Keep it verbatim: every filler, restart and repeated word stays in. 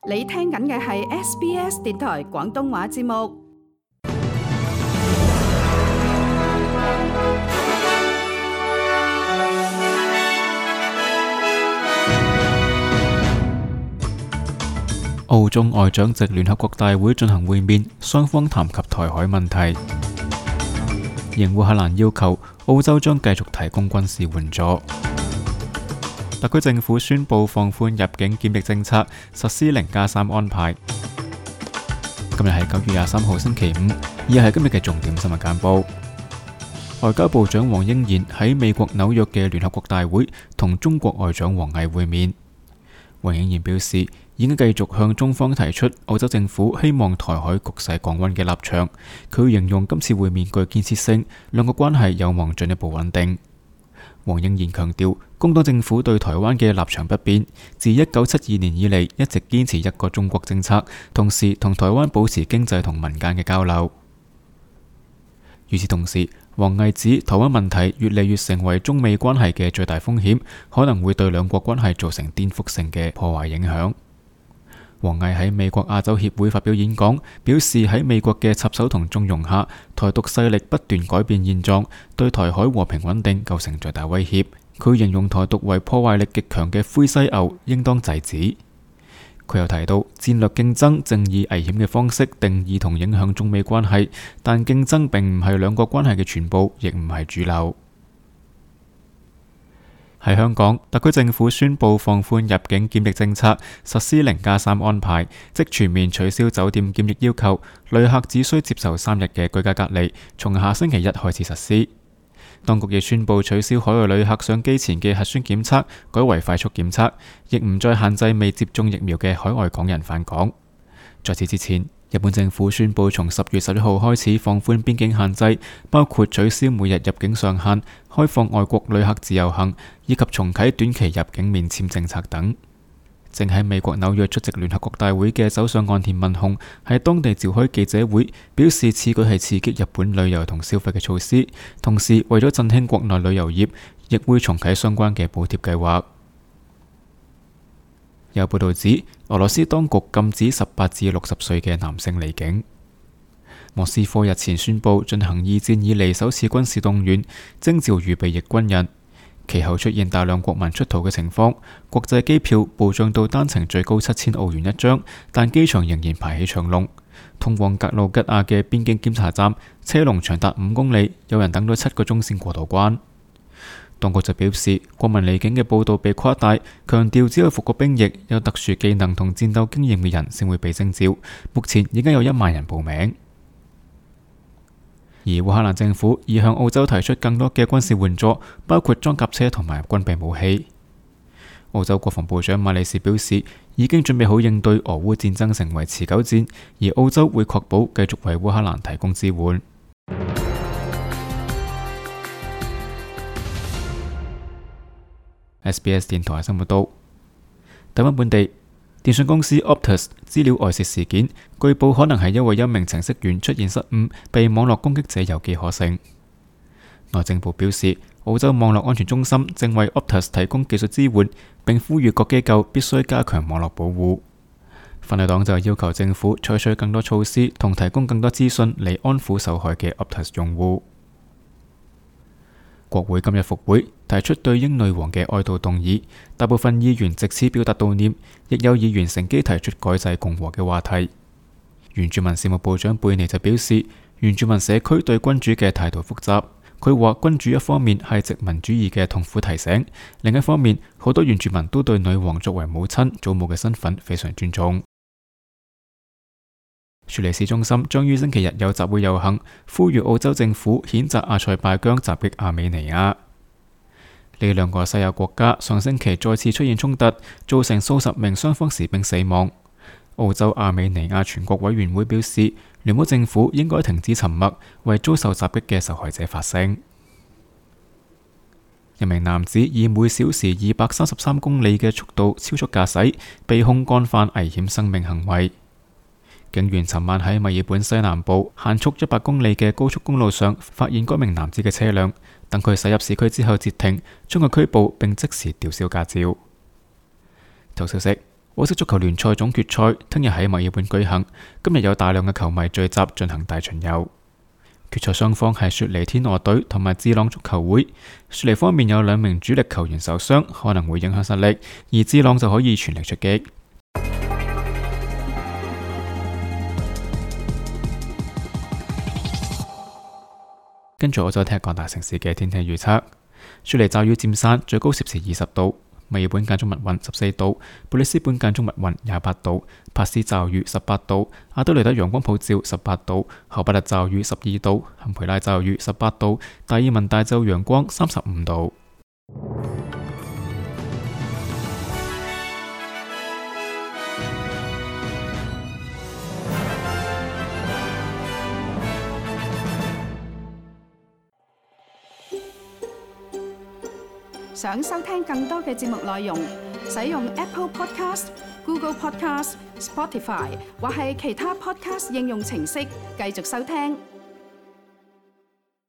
你聽緊嘅係 S B S 電台廣東話節目。澳中外長藉聯合國大會進行會面，雙方談及台海問題。應烏克蘭要求，澳洲將繼續提供軍事援助。特區政府宣布放寬入境檢疫政策，實施零加三安排。今日係九月廿三號星期五，以下係今日嘅重點新聞簡報。外交部長黃英賢喺美國紐約嘅聯合國大會同中國外長王毅會面。黃英賢表示，已經繼續向中方提出澳洲政府希望台海局勢降溫嘅立場。佢形容今次會面具建設性，兩個關係有望進一步穩定。黃英賢強調，工黨政府對台灣嘅立場不變，自一九七二年以嚟一直堅持一個中國政策，同時同台灣保持經濟同民間嘅交流。與此同時，王毅指台灣問題越嚟越成為中美關係嘅最大風險，可能會對兩國關係造成顛覆性嘅破壞影響。王毅喺美國亞洲協會發表演講，表示喺美國嘅插手同縱容下，台獨勢力不斷改變現狀，對台海和平穩定構成最大威脅。佢形容台獨為破壞力極強嘅灰犀牛，應當制止。佢又提到，戰略競爭正以危險嘅方式定義同影響中美關係，但競爭並唔係兩國關係嘅全部，亦唔係主流。喺香港，特區政府宣布放寬入境檢疫政策，實施零加三安排，即全面取消酒店檢疫要求，旅客只需接受三日嘅居家隔離，從下星期一開始實施。當局亦宣布取消海外旅客上機前嘅核酸檢測，改為快速檢測，亦唔再限制未接種疫苗嘅海外港人返港。在此之前，日本政府宣布從十月十一號開始放寬邊境限制，包括取消每日入境上限、開放外國旅客自由行，以及重啟短期入境免簽政策等。正喺美國紐約出席聯合國大會嘅首相岸田文雄喺當地召開記者會，表示此舉係刺激日本旅遊同消費嘅措施，同時為咗振興國內旅遊業，亦會重啟相關嘅補貼計劃。有報道指，俄羅斯當局禁止十八至六十歲嘅男性離境。莫斯科日前宣布進行二戰以嚟首次軍事動員，徵召預備役軍人。其後出現大量國民出逃嘅情況，國際機票暴漲到單程最高七千澳元一張，但機場仍然排起長龍。通往格魯吉亞嘅邊境檢查站，車龍長達五公里，有人等咗七個鐘先過到關。當局就表示，國民離境嘅報道被誇大，強調只有服過兵役、有特殊技能同戰鬥經驗嘅人先會被徵召。目前已經有一萬人報名。而烏克蘭政府已向澳洲提出更多嘅軍事援助，包括裝甲車同埋軍備武器。澳洲國防部長馬里士表示，已經準備好應對俄烏戰爭成為持久戰，而澳洲會確保繼續為烏克蘭提供支援。S B S 電台新聞報道，台灣本地電信公司 Optus 資料外泄事件，據報可能係因為一名程式員出現失誤，被網絡攻擊者有機可乘。內政部表示，澳洲網絡安全中心正為 Optus 提供技術支援，並呼籲各機構必須加強網絡保護。反對黨就要求政府採取更多措施，同提供更多資訊嚟安撫受害嘅 Optus 用戶。國會今日復會，提出對英女王嘅哀悼動議，大部分議員藉此表達悼念，亦有議員乘機提出改制共和嘅話題。原住民事務部長貝尼就表示，原住民社區對君主嘅態度複雜。佢話君主一方面係殖民主義嘅痛苦提醒，另一方面好多原住民都對女王作為母親、祖母嘅身份非常尊重。雪梨市中心將於星期日有集會遊行，呼籲澳洲政府譴責阿塞拜疆襲擊亞美尼亞。呢兩個西亞國家上星期再次出現衝突，造成數十名雙方士兵死亡。澳洲亞美尼亞全國委員會表示，聯邦政府應該停止沉默，為遭受襲擊嘅受害者發聲。一名男子以每小時二百三十三公里嘅速度超速駕駛，被控干犯危險生命行為。警員尋晚喺墨爾本西南部限速一百公里嘅高速公路上發現該名男子嘅車輛，等佢駛入市區之後截停，將佢拘捕並即時吊銷駕照。頭消息：澳式足球聯賽總決賽聽日喺墨爾本舉行，今日有大量嘅球迷聚集進行大巡遊。決賽雙方係雪梨天鵝隊同埋智朗足球會。雪梨方面有兩名主力球員受傷，可能會影響實力，而智朗就可以全力出擊。跟住我再睇下各大城市嘅天氣預測。雪梨驟雨漸散，最高攝氏二十度；墨爾本間中密雲十四度；布里斯本間中密雲廿八度；帕斯驟雨十八度；阿德雷德陽光普照十八度；荷伯特驟雨十二度；坎培拉驟雨十八度；達爾文大晝陽光三十五度。想收聽更多嘅節目內容，使用 Apple Podcast、Google Podcast、Spotify 或係其他 Podcast 應用程式繼續收聽。